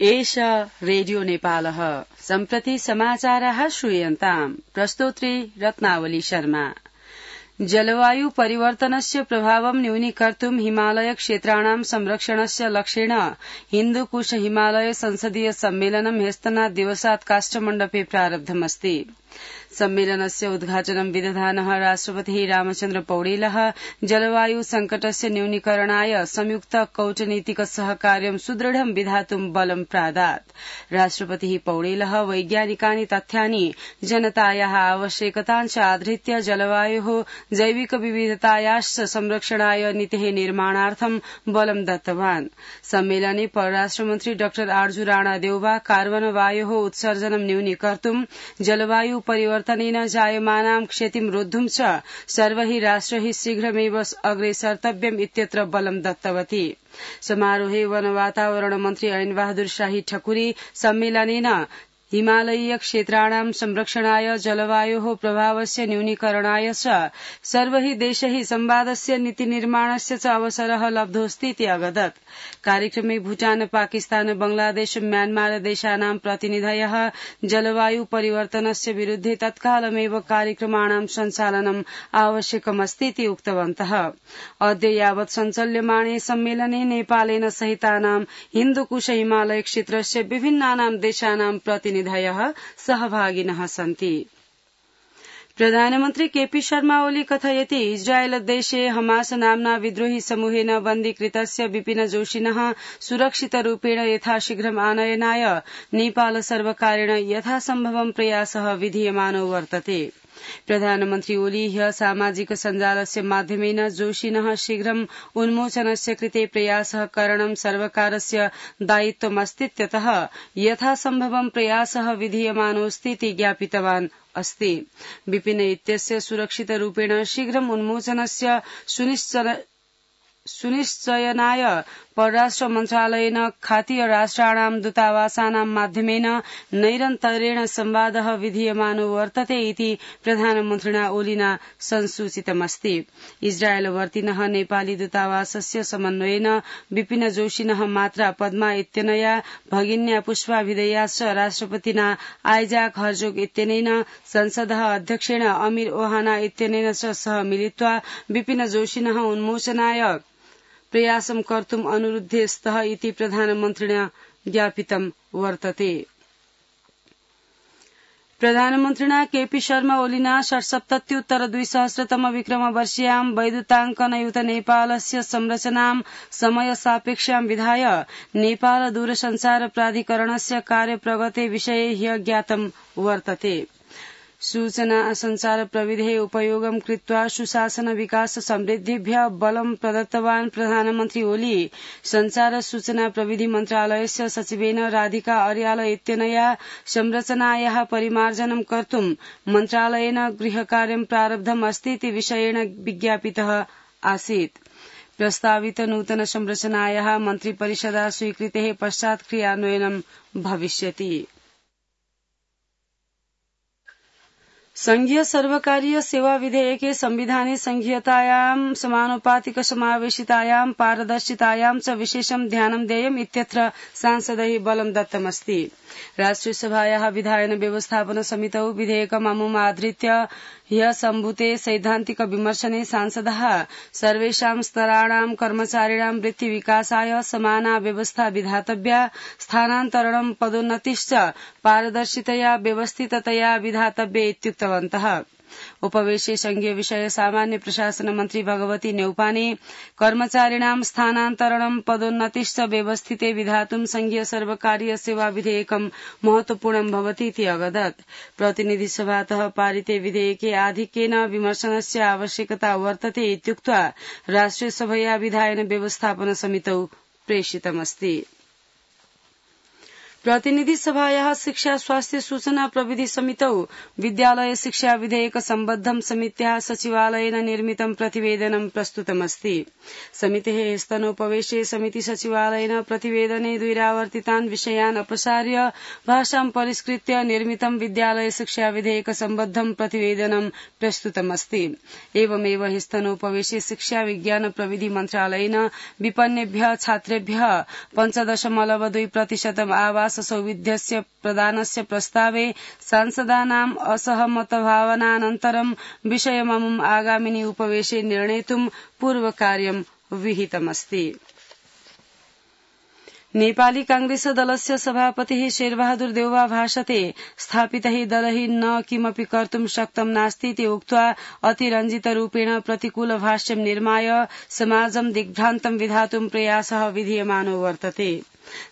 एष रेडियो नेपालः सम्प्रति समाचाराः श्रूयन्ताम् प्रस्तोत्री रत्नावली शर्मा। जलवायु परिवर्तनस्य प्रभावं न्यूनीकर्तुं हिमालय क्षेत्राणां संरक्षणस्य लक्ष्येण हिन्दुकुश हिमालय संसदीय सम्मेलनं ह्यस्तनात् दिवसात् काष्ठमण्डपे प्रारब्धमस्ति। सम्मेलनस्य उद्घाटनं विदधानः राष्ट्रपतिः रामचन्द्र पौडेलः जलवायु संकटस्य न्यूनीकरणाय संयुक्त कौटनीतिक सहकार्यं सुदृढं विधातुं बलं प्रादात्। राष्ट्रपतिः पौडेलः वैज्ञानिकानि तथ्यानि जनतायाः आवश्यकताञ्च आधृत्य जलवायोः जैविक विविधतायाश्च संरक्षणाय नीतेः निर्माणार्थं बलं दत्तवान्। सम्मेलने परराष्ट्रमन्त्री डाक्टर आर्जू राणा देउवा कार्बन वायोः उत्सर्जनं न्यूनीकर्तुं जलवायु परिवर्तनेन जायमानां क्षतिं रोद्धुं च सर्वैः राष्ट्रैः शीघ्रमेव अग्रेसर्तव्यम् इत्यत्र बलं दत्तवती। समारोहे वन वातावरण मन्त्री ऐन बहादुर शाही ठकुरी सम्मेलनेन हिमालयीय क्षेत्राणां संरक्षणाय जलवायोः प्रभावस्य न्यूनीकरणाय च सर्वैः देशैः संवादस्य नीतिनिर्माणस्य च अवसरः लब्धोऽस्तीति अवदत्। कार्यक्रमे भूटान, पाकिस्तान, बंगलादेश, म्यानमार देशानां प्रतिनिधयः जलवायु परिवर्तनस्य विरुद्धे तत्कालमेव कार्यक्रमाणां सञ्चालनम् आवश्यकमस्तीति उक्तवन्तः। अद्य यावत् सञ्चाल्यमाणे सम्मेलने नेपालेन सहितानां हिन्दुकुश हिमालय क्षेत्रस्य विभिन्नानां देशानां प्रतिनिधयः सहभागिनः सन्ति। प्रधानमन्त्री केपी शर्मा ओली कथयति इस्राएल देशे हमास नाम्ना विद्रोही समूहेन बन्दीकृतस्य विपिन जोशिनः सुरक्षितरूपेण यथाशीघ्रम् आनयनाय नेपाल सर्वकारेण यथासम्भवं प्रयासः विधीयमानो वर्तते। प्रधानमन्त्री ओली ह्य सामाजिक सञ्जालस्य माध्यमेन जोशिनः शीघ्रम् उन्मोचनस्य कृते प्रयासः करणं सर्वकारस्य दायित्वमस्तीत्यतः यथासम्भवं प्रयासः विधीयमानोऽस्तीति ज्ञापितवान् अस्ति। विपिन इत्यस्य सुरक्षितरूपेण शीघ्रम् उन्मोचनस्य सुनिश्चयनाय परराष्ट्र मन्त्रालयेन खातीय राष्ट्राणां दूतावासानां माध्यमेन नैरन्तर्येण संवादः विधीयमानो वर्तते इति प्रधानमन्त्रिणा ओलिना संसूचितमस्ति। इस्राएलवर्तिनः नेपाली दूतावासस्य समन्वयेन विपिन जोशिनः मात्रा पद्मा इत्यनया भगिन्या पुष्पा विदयाश्च राष्ट्रपतिना आइजाक हर्जोग इत्यनेन संसदः अध्यक्षेण अमीर ओहाना इत्यनेन च सह मिलित्वा विपिन जोशिनः उन्मोचनाय प्रयासं कर्तुम् अनुरुद्धे स्तः इति प्रधानमन्त्रिणा ज्ञापितं वर्तते। प्रधानमन्त्रिणा केपी शर्मा ओलिना 67उत्तर-2000 विक्रमवर्षीयां वैद्युताङ्कनयुत नेपालस्य संरचनां समयसापेक्षां विधाय नेपाल दूरसञ्चार प्राधिकरणस्य कार्यप्रगते विषये ह्य ज्ञातं वर्तते। सूचना संचार प्रविधेः उपयोगं कृत्वा सुशासन विकास समृद्धिभ्यः बलं प्रदत्तवान् प्रधानमन्त्री ओली संचार सूचना प्रविधि मन्त्रालयस्य सचिवेन राधिका अर्याल इत्यनया संरचनायाः परिमार्जनं कर्तुं मन्त्रालयेन गृहकार्यं प्रारब्धम् अस्तीति विषयेण विज्ञापितः आसीत्। प्रस्तावित नूतन संरचनायाः मन्त्रिपरिषदा स्वीकृतेः पश्चात् क्रियान्वयनं भविष्यति। संघीय सर्वकारीय सेवा विधेयके संविधाने संघीयतायां समानुपातिक समावेशितायां पारदर्शितायां च विशेषं ध्यानं देयम् इत्यत्र सांसदैः बलं दत्तमस्ति। राष्ट्रिय सभायाः विधायन व्यवस्थापन समितौ विधेयकममुमाधृत्य ह्य सम्भूते सैद्धान्तिक विमर्शने सांसदः सर्वेषां स्तराणां कर्मचारिणां वृत्तिविकासाय समाना व्यवस्था विधातव्या, स्थानान्तरणं पदोन्नतिश्च पारदर्शितया व्यवस्थिततया विधातव्ये इत्युक्तवन्तः। उपवेशे संघीय विषय सामान्य प्रशासन मन्त्री भगवती न्यौपाने कर्मचारिणां स्थानान्तरणं पदोन्नतिश्च व्यवस्थिते विधातुं संघीय सर्वकारीय सेवा विधेयकं महत्वपूर्णं भवतीति अवदत्। प्रतिनिधिसभातः पारिते विधेयके आधिक्येन विमर्शनस्य आवश्यकता वर्तते इत्युक्त्वा राष्ट्रिय सभया विधायन व्यवस्थापन समितौ प्रेषितमस्ति। प्रतिनिधि सभायाः शिक्षा स्वास्थ्य सूचना प्रविधि समितौ विद्यालय शिक्षा विधेयक सम्बद्धं समित्याः सचिवालयेन निर्मितं प्रतिवेदनं प्रस्तुतमस्ति। समितेः स्तनोपवेशे समिति सचिवालयेन प्रतिवेदने द्विरावर्तितान् विषयान् अपसार्य भाषां परिष्कृत्य निर्मितं विद्यालय शिक्षा विधेयक सम्बद्धं प्रतिवेदनं प्रस्तुतमस्ति। एवमेव स्तनोपवेशे शिक्षा विज्ञान प्रविधि मन्त्रालयेन विपन्नेभ्यः छात्रेभ्यः 5.2% आवास सौविध्यस्य प्रदानस्य प्रस्तावे सांसदानाम् असहमतभावनानन्तरं विषयममुम् आगामिनि उपवेशे निर्णेतुं पूर्वकार्यं विहितमस्ति। नेपाली कांग्रेस दलस्य सभापतिः शेरबहादुर देउवा भाषते स्थापितः दलः न किमपि कर्तुं शक्तं नास्तीति उक्त्वा अतिरञ्जितरूपेण प्रतिकूल भाष्यं निर्माय समाजं दिग्भ्रान्तं विधातुं प्रयासः विधीयमानो वर्तते।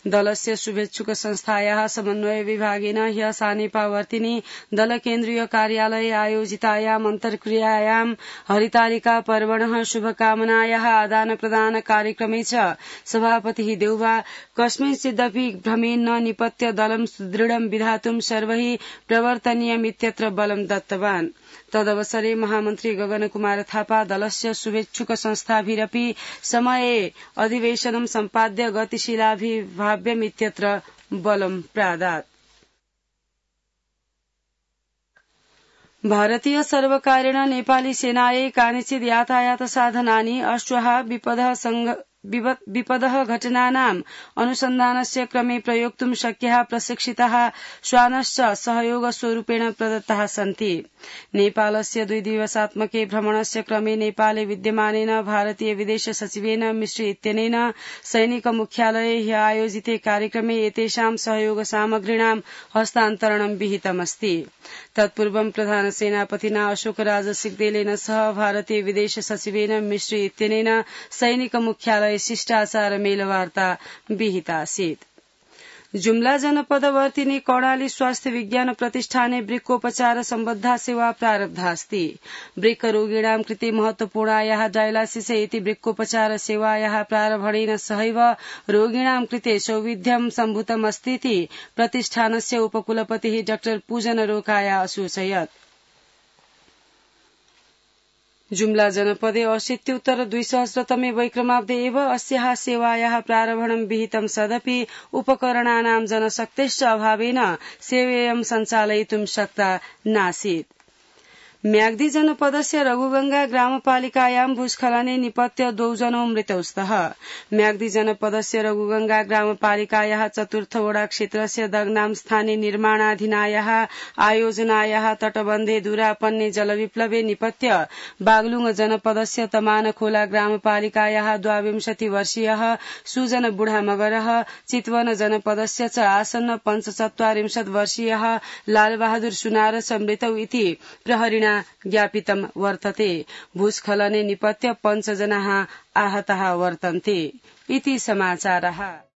दलस्य शुभेच्छुक संस्थायाः समन्वय विभागेन ह्यः सानेपावर्तिनि दल केन्द्रीय कार्यालये आयोजितायाम् अन्तर्क्रियायां हरितालिका पर्वणः शुभकामनायाः आदान प्रदान कार्यक्रमे च सभापतिः देउवा कस्मिंश्चिदपि भ्रमेण न निपत्य दलं सुदृढं विधातुं सर्वैः प्रवर्तनीयमित्यत्र बलं दत्तवान्। तदवसरे महामन्त्री गगन कुमार थापा दलस्य शुभेच्छुक संस्थाभिरपि समये अधिवेशनं सम्पाद्य गतिशीलाभिभाव्यमित्यत्र बलं प्रादात्। भारतीय सर्वकारेण नेपाली सेनायै कानिचित् यातायात साधनानि अश्वः विपदः घटनानाम् अनुसन्धानस्य क्रमे प्रयोक्तुं शक्याः प्रशिक्षिताः श्वानश्च सहयोगस्वरूपेण प्रदत्ताः सन्ति। नेपालस्य 2 दिवसात्मके भ्रमणस्य क्रमे नेपाले विद्यमानेन भारतीय विदेश सचिवेन मिश्री इत्यनेन सैनिक मुख्यालये ह्यः आयोजिते कार्यक्रमे एतेषां सहयोग सामग्रीणां हस्तान्तरणं विहितमस्ति। तत्पूर्वं प्रधान सेनापतिना अशोकराज सिग्देलेन सह भारतीय विदेश सचिवेन मिश्री इत्यनेन सैनिक मुख्यालये शिष्टाचार मेलवार्ता विहितासीत्। जुम्ला जनपदवर्तिनि कर्णाली स्वास्थ्य विज्ञान प्रतिष्ठाने वृक्कोपचार सम्बद्धा सेवा प्रारब्धास्ति। वृक्करोगिणां कृते महत्वपूर्णायाः डायलासिस इति वृक्कोपचार सेवायाः प्रारम्भेन सहैव रोगिणां कृते सौविध्यं सम्भूतमस्तीति प्रतिष्ठानस्य उपकुलपतिः डॉ पूजन रोकाया असूचयत्। जुम्ला जनपदे 80-200 वैक्रमाब्दे एव अस्याः सेवायाः प्रारम्भं विहितं सदपि उपकरणानां जनशक्तेश्च अभावेन सेवेयं सञ्चालयितुं शक्ता नासीत्। म्याग्दी जनपदस्य रघुगंगा ग्रामपालिकायां भूस्खलने निपत्य 2 जनो मृतौ स्तः। म्याग्दी जनपदस्य रघुगंगा ग्रामपालिकायाः 4th वडा क्षेत्रस्य दग्नां स्थाने निर्माणाधीनायाः आयोजनायाः तटबन्धे दूरापन्ने जलविप्लवे निपत्य बागलुङ जनपदस्य तमानखोला ग्रामपालिकायाः 22 वर्षीयः सुजन बुढा मगरः, चितवन जनपदस्य च आसन्न 45 वर्षीयः लालबहादुर सुनार च मृतौ इति प्रहरिणा ज्ञापितं वर्तते। भूस्खलने निपत्य 5 जनाः आहताः वर्तन्ते इति समाचारः।